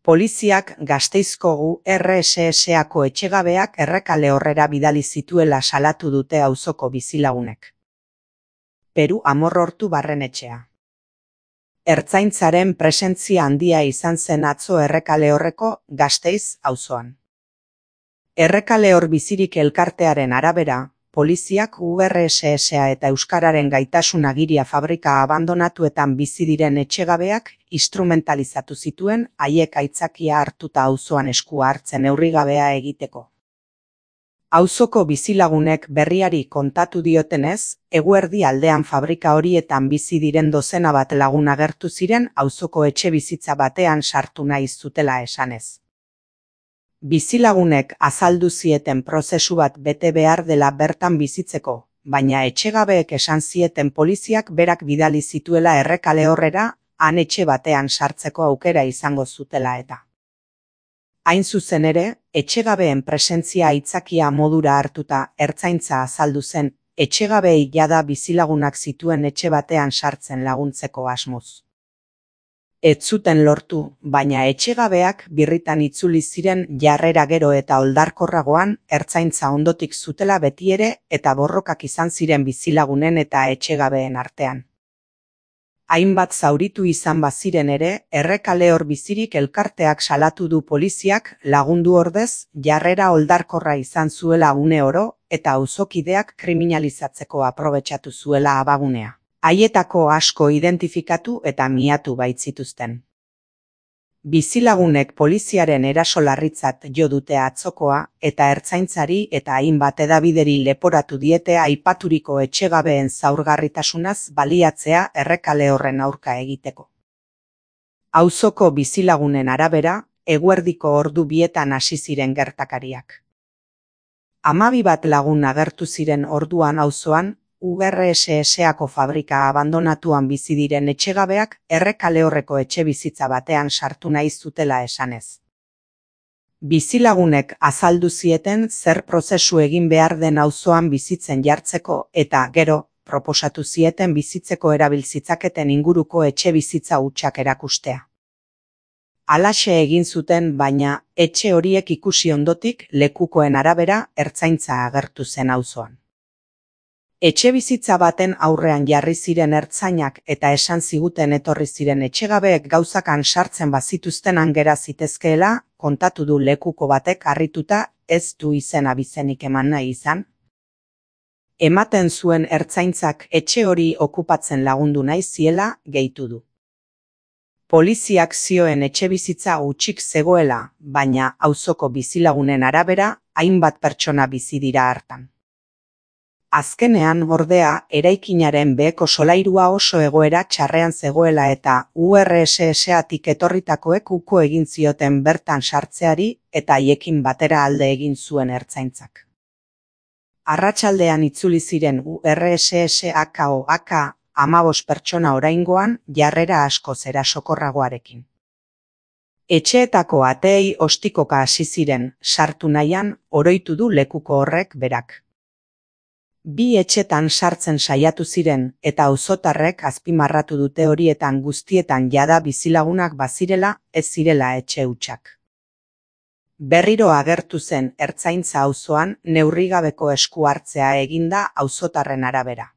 Poliziak Gasteizko URSS-ako etxegabeak Errekalehorrera bidali zituela salatu dute auzoko bizilagunek. Peru Amorrortu barrenetxea. Ertzaintzaren presentzia handia izan zen atzo Errekalehorreko Gasteiz auzoan. Errekalehor bizirik elkartearen arabera, poliziak URSS-a eta Euskararen gaitasun agiria fabrika abandonatuetan bizi diren etxegabeak instrumentalizatu zituen haiek aitzakia hartuta auzoan eskua hartzen neurrigabea egiteko. Auzoko bizilagunek berriari kontatu diotenez, eguerdi aldean fabrika horietan bizi diren dozena bat lagun agertu ziren auzoko etxebizitza batean sartu nahi zutela esanez. Bizilagunek azaldu zieten prozesu bat bete behar dela bertan bizitzeko, baina etxegabeek esan zieten poliziak berak bidali zituela Errekalehorrera, han etxe batean sartzeko aukera izango zutela eta. Hain zuzen ere, etxegabeen presentzia aitzakia modura hartuta ertzaintza azaldu zen, etxegabeei jada bizilagunak zituen etxe batean sartzen laguntzeko asmoz. Ez zuten lortu, baina etxegabeak birritan itzuli ziren jarrera gero eta oldarkorragoan ertzaintza ondotik zutela betiere eta borrokak izan ziren bizilagunen eta etxegabeen artean. Hainbat zauritu izan baziren ere, Errekalehor bizirik elkarteak salatu du poliziak lagundu ordez jarrera oldarkorra izan zuela une oro eta auzokideak kriminalizatzeko aprobetxatu zuela abagunea. Haietako asko identifikatu eta miatu baitzituzten. Bizilagunek poliziaren eraso larritzat jo dute atzokoa eta ertzaintzari eta hainbat hedabideri leporatu diete aipaturiko etxegabeen zaurgarritasunaz baliatzea Errekalehorren aurka egiteko. Auzoko bizilagunen arabera, eguerdiko ordu bietan hasi ziren gertakariak. 12 bat lagun agertu ziren orduan auzoan, URSS-ako fabrika abandonatuan bizi diren etxegabeak Errekalehorreko etxebizitza batean sartu nahi zutela esanez. Bizilagunek azaldu zieten zer prozesu egin behar den auzoan bizitzen jartzeko eta gero proposatu zieten bizitzeko erabiltzitzaketen inguruko etxebizitza hutsak erakustea. Halaxe egin zuten, baina etxe horiek ikusi ondotik lekukoen arabera ertzaintza agertu zen auzoan. Etxebizitza baten aurrean jarri ziren ertzainak eta esan ziguten etorri ziren etxegabeek gauzakan sartzen bazituztenan gera zitezkeela, kontatu du lekuko batek harrituta ez du izen abizenik eman nahi izan. Ematen zuen ertzaintzak etxe hori okupatzen lagundu nahi ziela, gehitu du. Poliziak zioen etxebizitza hutsik zegoela, baina auzoko bizilagunen arabera, hainbat pertsona bizi dira hartan. Azkenean, ordea, eraikinaren beheko solairua oso egoera txarrean zegoela eta URSS-atik etorritakoek uko egin zioten bertan sartzeari eta haiekin batera alde egin zuen ertzaintzak. Arratsaldean itzuli ziren URSS-AK 15 pertsona oraingoan jarrera askoz erasokorragoarekin. Etxeetako ateei ostikoka hasi ziren, sartu nahian, oroitu du lekuko horrek berak. Bi etxetan sartzen saiatu ziren eta auzotarrek azpimarratu dute horietan guztietan jada bizilagunak bazirela, ez zirela etxe hutsak. Berriro agertu zen ertzaintza auzoan neurrigabeko esku hartzea eginda auzotarren arabera.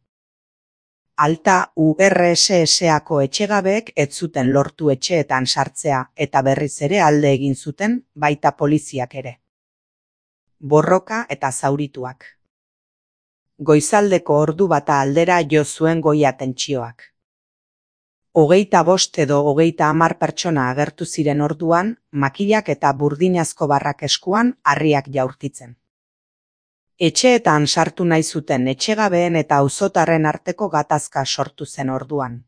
Alta URSS-ako etxegabeek ez zuten lortu etxeetan sartzea eta berriz ere alde egin zuten, baita poliziak ere. Borroka eta zaurituak. Goizaldeko ordu bata aldera jo zuen goia tentsioak. 25 edo 30 pertsona agertu ziren orduan, makilak eta burdinazko barrak eskuan harriak jaurtitzen. Etxeetan sartu nahi zuten etxegabeen eta auzotarren arteko gatazka sortu zen orduan.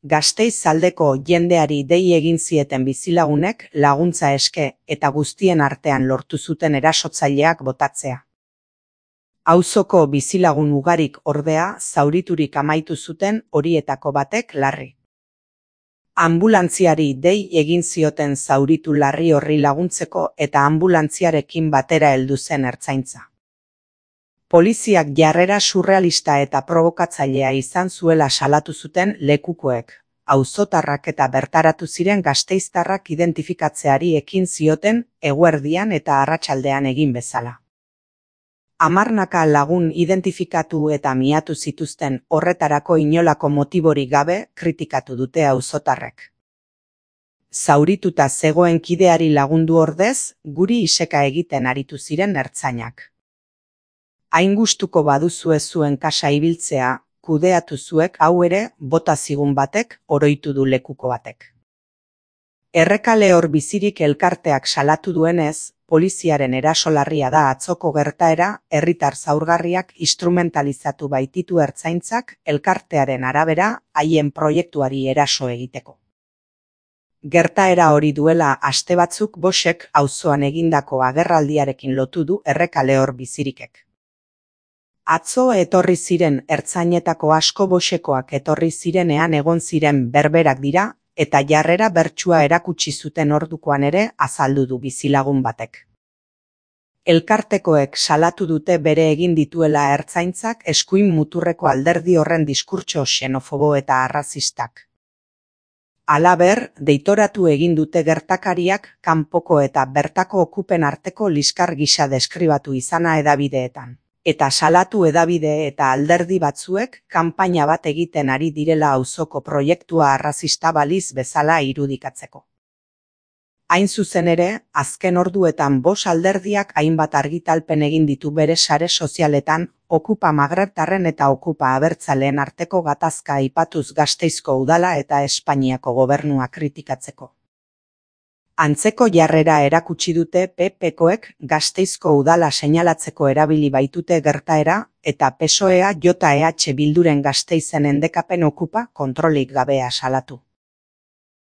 Gasteiz aldeko jendeari dei egin zieten bizilagunek laguntza eske eta guztien artean lortu zuten erasotzaileak botatzea. Auzoko bizilagun ugarik ordea zauriturik amaitu zuten horietako batek larri. Ambulantziari dei egin zioten zauritu larri horri laguntzeko eta ambulantziarekin batera heldu zen ertzaintza. Poliziak jarrera surrealista eta provokatzailea izan zuela salatu zuten lekukoek, auzotarrak eta bertaratu ziren gasteiztarrak identifikatzeari ekin zioten eguerdian eta arratsaldean egin bezala. 10 lagun identifikatu eta miatu zituzten horretarako inolako motiborik gabe kritikatu dute auzotarrek. Zaurituta zegoen kideari lagundu ordez, guri iseka egiten aritu ziren ertzainak. Hain gustuko baduzue zuen kasa ibiltzea, kudeatu zuek hau ere bota zigun batek oroitu du lekuko batek. Errekale hor bizirik elkarteak salatu duenez, poliziaren eraso larria da atzoko gertaera, herritar zaurgarriak instrumentalizatu baititu ertzaintzak elkartearen arabera haien proiektuari eraso egiteko. Gertaera hori duela aste batzuk Boxek auzoan egindako agerraldiarekin lotu du errekale hor bizirikek. Atzo etorri ziren ertzainetako asko Boxekoak etorri zirenean egon ziren berberak dira, eta jarrera bertsua erakutsi zuten ordukoan ere azaldu du bizilagun batek. Elkartekoek salatu dute bere egin dituela ertzaintzak eskuin muturreko alderdi horren diskurtso xenofobo eta arrazistak. Halaber, deitoratu egin dute gertakariak kanpoko eta bertako okupen arteko liskar gisa deskribatu izana hedabideetan. Eta salatu hedabide eta alderdi batzuek kanpaina bat egiten ari direla auzoko proiektua arrazista baliz bezala irudikatzeko. Hain zuzen ere, azken orduetan 5 alderdiak hainbat argitalpen egin ditu bere sare sozialetan, okupa magrebtarren eta okupa abertzaleen arteko gatazka aipatuz Gasteizko udala eta Espainiako gobernua kritikatzeko. Antzeko jarrera erakutsi dute PP-koek Gasteizko udala seinalatzeko erabili baitute gertaera eta PSOEa JEH Bilduren Gasteizen endekapen okupa kontrolik gabea salatu.